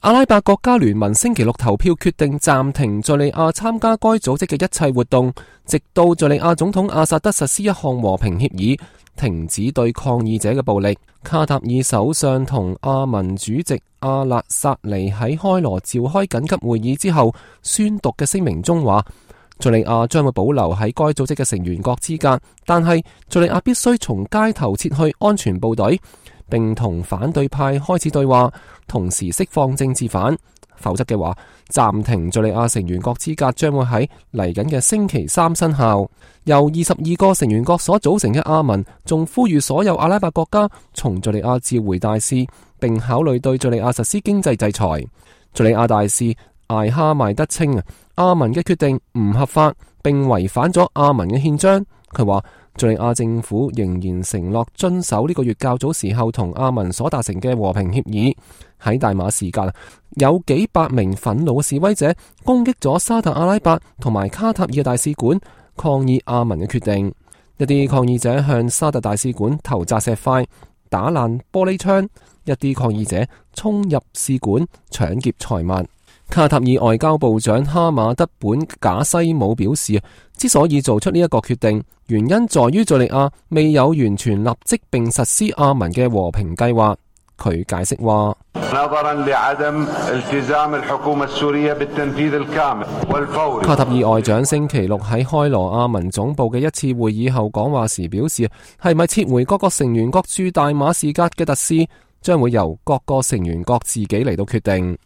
阿拉伯國家聯盟星期六投票決定暫停敘利亞參加該組織嘅一切活動，直到敘利亞總統阿薩德實施一項和平協議，停止對抗議者嘅暴力。卡塔爾首相同阿盟主席阿勒薩尼喺開羅召開緊急會議之後宣讀嘅聲明中話，敘利亞將會保留喺該組織嘅成員國資格，但係敘利亞必須從街頭撤去安全部隊，並同反對派開始對話，同時釋放政治犯，否則嘅話，暫停敘利亞成員國資格將會喺嚟緊嘅星期三生效。由22個成員國所組成嘅阿盟仲呼籲所有阿拉伯國家從敘利亞召回大使，並考慮對敘利亞實施經濟制裁。敘利亞大使艾哈邁德稱阿盟嘅決定唔合法，並違反咗阿盟嘅憲章。佢話敘利亞政府仍然承諾遵守呢個月較早時候同阿盟所達成嘅和平協議。喺大馬士革有幾百名憤怒嘅示威者攻擊咗沙特阿拉伯同埋卡塔爾嘅大使館，抗議阿盟嘅決定。一啲抗議者向沙特大使館投擲石塊，打爛玻璃窗；一啲抗議者衝入使館搶劫財物。卡塔爾外交部長哈馬德本賈西姆表示，之所以做出呢一個決定，原因在於敘利亞未有完全立即並實施阿盟嘅和平計劃。佢解釋話，卡塔爾外長星期六喺開羅阿盟總部嘅一次會議後講話時表示，係咪撤回各個成員國駐大馬士革嘅特使，將會由各個成員國自己嚟到決定。